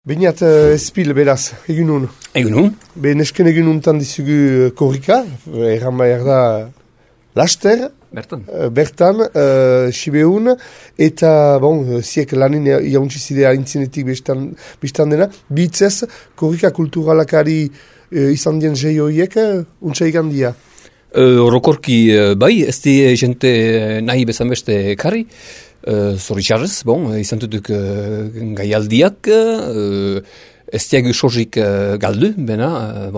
Beinat ezpil, beraz, egunun. Egunun. Nesken egununtan dizugu korrika, erran behar da laster. Bertan, Sibeun, eta, ziek lanin jauntxizidea intzinetik biztan dena, bitzez, korrika kulturalakari izan dien zei horiek, untsa igandia. Orokorki bai, ez di jente nahi bezan beste karri, zoritxarrez, izan duduk gaialdiak, ez diagu sozik galdu, bena,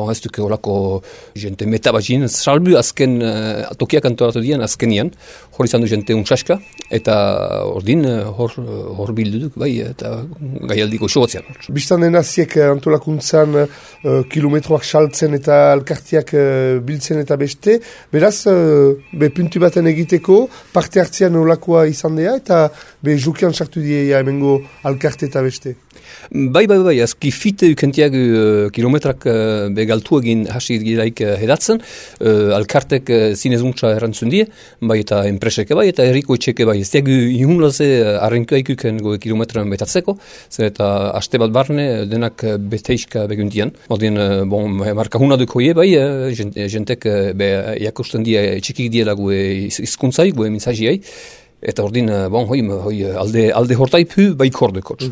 ez duk olako jente metabazin, salbu azken tokiak antoratu dian azkenian, hor izan du jente untsaska, eta ordin hor bilduduk, bai, eta gaialdiko isobatzean. Bistan dena ziek antolakuntzan kilometroak saltzen eta alkartiak biltzen eta beste, beraz, puntu baten egiteko, parte hartzean olakoa izan dea, eta jukian sartu dieia hemengo alkarte eta beste. Bai, azki fite ukentiak kilometrak begaltu egin hasi giraik hedatzen, alkartek zinezuntza errantzun die, bai eta enpreseke bai, eta herriko etxeke bai. Ez diagu ihunlaze arrenkoa ikuken kilometran betatzeko, zer eta aste bat barne denak beteiska beguntian. Ordin, markahuna duk hoie bai, jentek jakosten die txikik diela gue izkuntzai, gue mintzajiai, eta ordin, alde hortaipu bai kordekotz.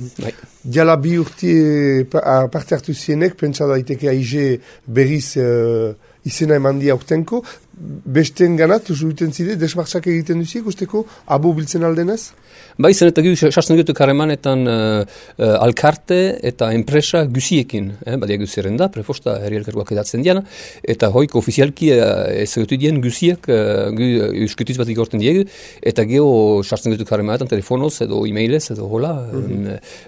Diala bi urti parte hartu zienek, pentsa daiteke aize berriz izena eman dia urtenko, besten ganat, zuiten zide, desmartxak egiten duziek, usteko, abo biltzen aldenez? Bai, zen eta sartzen dutu karemanetan alkarte eta enpresa guziekin, badia guzeren da, prefosta herri elkargoak edatzen diana, eta hoik ofizialki ezagutu dien guziek euskutuz bat igorten diegu, eta geho sartzen dutu karemanetan telefonoz edo e-mailez edo hola,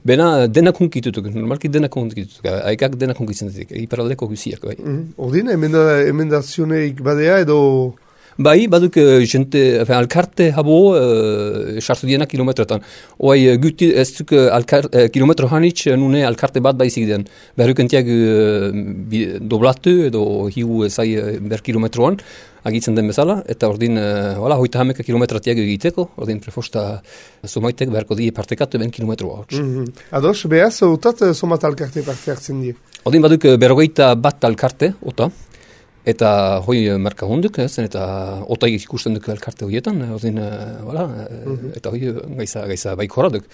bena denak hunkitutuk, normalki denak hunkitutuk, haikak denak hunkitzen dutuk, hiperaldeko guziek, bai. Ordin, emendazioneik badea edo... Bai, baduk alkarte habo sartu diena kilometrotan. Oai, guti ez duk kilometro hanitz nune alkarte bat baizik den. Berrukentiak doblatu edo hiu zai ber kilometroan agitzen den bezala, eta ordin, hoita hameka kilometratiak egiteko, ordin prefosta somaitek beharko die partekatu ben kilometroa. Ados, behaz, otat somat alkarte parte hartzen die? Ordin baduk berrogeita bat alkarte, ota, eta hoi marka honduk, eta otaik ikusten duk elkarte horietan, eta hoi gaiza baikoraduk.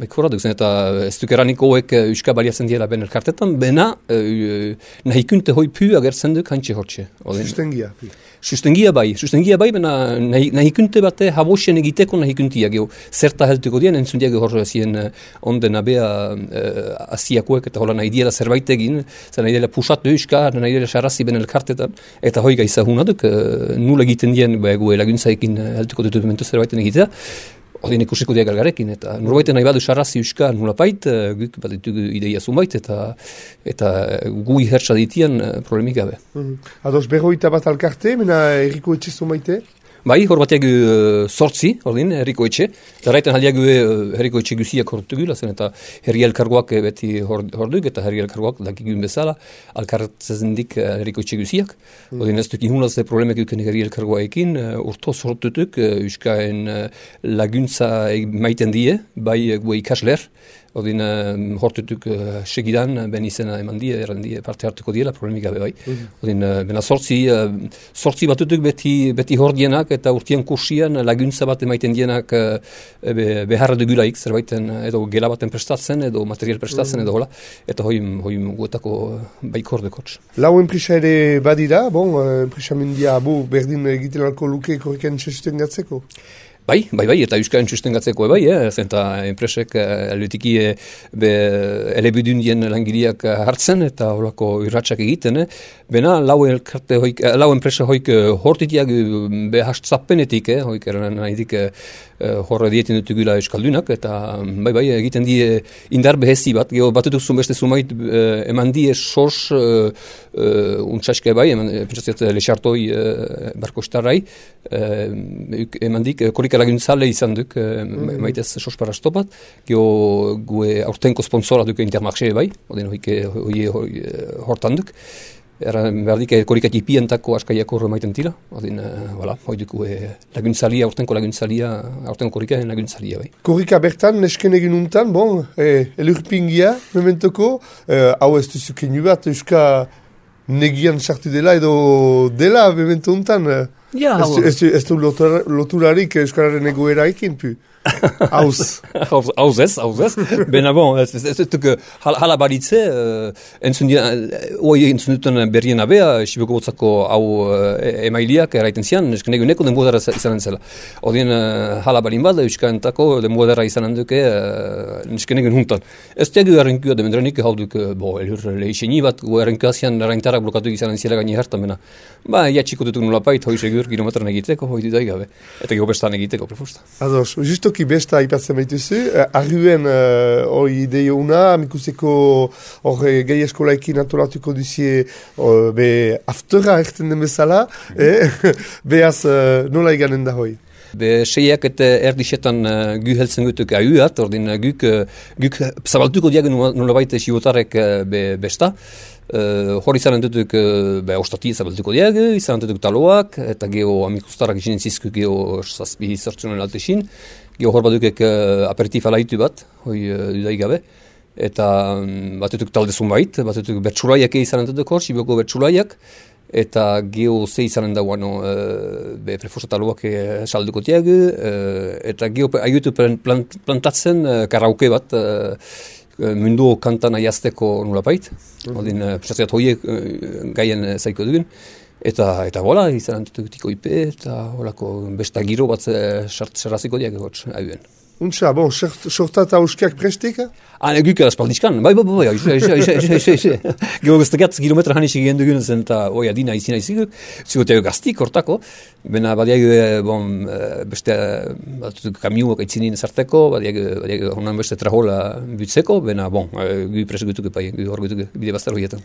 Zen eta ez duk eranik hoek euska baliatzen diela ben elkartetan, bena nahikunte hoi pu agertzen duk hantxe hortxe. Sustengia bai, bena nahikunte bate habosen egiteko nahikuntia geho. Zerta heltuko dien, entzundiak hor zien onden abea asiakoek eta hola nahi diela zerbait egin, nahi diela pusatu euska, nahi diela sarrazi ben elkartetan, eta hoi gaiza hunaduk, nula egiten dien gu laguntzaekin heltuko dut momentu zerbaiten egitea, ordin ikusiko diak algarekin, eta norbaiten nahi badu sarrazi euska nulapait, guk bat ditugu ideia zunbait, eta gui hertsa ditian problemik gabe. Ados, berroita bat alkarte, mena erriko etxe zunbaite? Bai, hor batiak sortzi, ordin, herriko etxe. Zerraiten haldiak herriko etxe guziak hortugula, zen eta herri elkargoak beti horduk, eta herri elkargoak dakigun bezala, alkartzezendik herriko etxe guziak. Ordin ez duk ihunaz problemek duken herri elkargoaekin, urto sortutuk, euskaen laguntza maiten die, bai gue ikasler, ordin hortutuk segidan, ben izena eman die, erran die, parte hartuko diela, problemik gabe bai. Ordin, bena sortzi batutuk beti hordienak, eta urtien kursian laguntza bat emaiten dienak beharra dugulaik, zerbaiten edo gela baten prestatzen, edo material prestatzen, edo hola, eta hoi guetako baik hordekotz. Lau enpresa ere badira, enpresa mendia abo berdin egiten alko luke korriken txesten gatzeko? Bai, eta euskaren sustengatzeko bai, zenta enpresek aldutiki elebudun dien langileak hartzen eta holako irratxak egiten, bena lau enpresa hoik hortitiak behastzapenetik, hoik eran nahidik horre dieten dutugula euskaldunak, eta bai, egiten die indar behezi bat, batutuk beste zumait eman die sos untsaske bai, pentsatziat lexartoi barkostarrai, eman dik korika laguntzale izan duk, maitez sos parastopat, gue aurtenko sponsora duk Intermarché bai, odin hoi hortan duk, berdik korikak ipientako askaiak horre maiten tira, odin, hoi duku laguntzalia, aurtenko korikaen laguntzalia, bai. Korrika bertan, nesken egin untan, bon, elurpingia, mementoko, hau ez duzukenu bat, euska negian sartu dela edo dela, memento untan. Ja, ez du loturarik euskararen egoeraekin, pu. Hauz ez. Bena bon, ez duk hala baritze, entzun duten berrien abea, Siboko botzako hau emailiak eraiten zian, nesken eguneko denbodara izanen zela. Odien hala balin bada, euskantako denbodara izanen duke nesken egun huntan. Ez tegu errenkua demendrenik hau duk, elur lehixeni bat, errenkua zian erreintarak blokatu izanen zela gaini hartan, bena. Iatxiko dutuk nolapait, hoi segur kilometran egiteko, hoi dudai gabe. Eta gero bestan egiteko, prefusta. Ados, justoki besta aipatzen baituzu, arruen hori ideio una, amikuseko hori gai eskolaekin antolatuko duzie be aftera erten den bezala, behaz nola eganen da hoi? Be seiak eta erdisetan gu heltzen gutuk ahuat, ordin guk zabaltuko diagen nolabait sibotarek besta. Hor izanen dutuk ostati zabaltuko diagen, izanen dutuk taloak, eta geho amikustarak izinen zizku geho zazpi zertzunen altesin. Geho hor badukek aperitif alaitu bat, hoi dudai gabe. Eta batutuk talde zunbait, batutuk bertsulaiak izanen dutuk hor, Siboko bertsulaiak. Eta geho ze izanen dagoano prefosataloak salduko tiagu, eta geho aiotu plantatzen karaoke bat mundu kantan aiazteko nolapait. Odin, prestazioat hoiek gaien zaiko dugun. Eta bola, izanen dutiko ipe, eta holako besta giro bat sarraziko diago hotz hauen. Untsa, bon, sorta eta uskiak prestik? Guk espaldizkan, bai, Gero guztekat kilometra hanis egin dugun zen, eta adina izina iziguk, zigoteo gaztik hortako, bena badiag, beste kamiuak aitzinin zarteko, badiag honan beste trahola butzeko, bena, gu presugutuk epai, gu hor gutuk bide bastar horietan.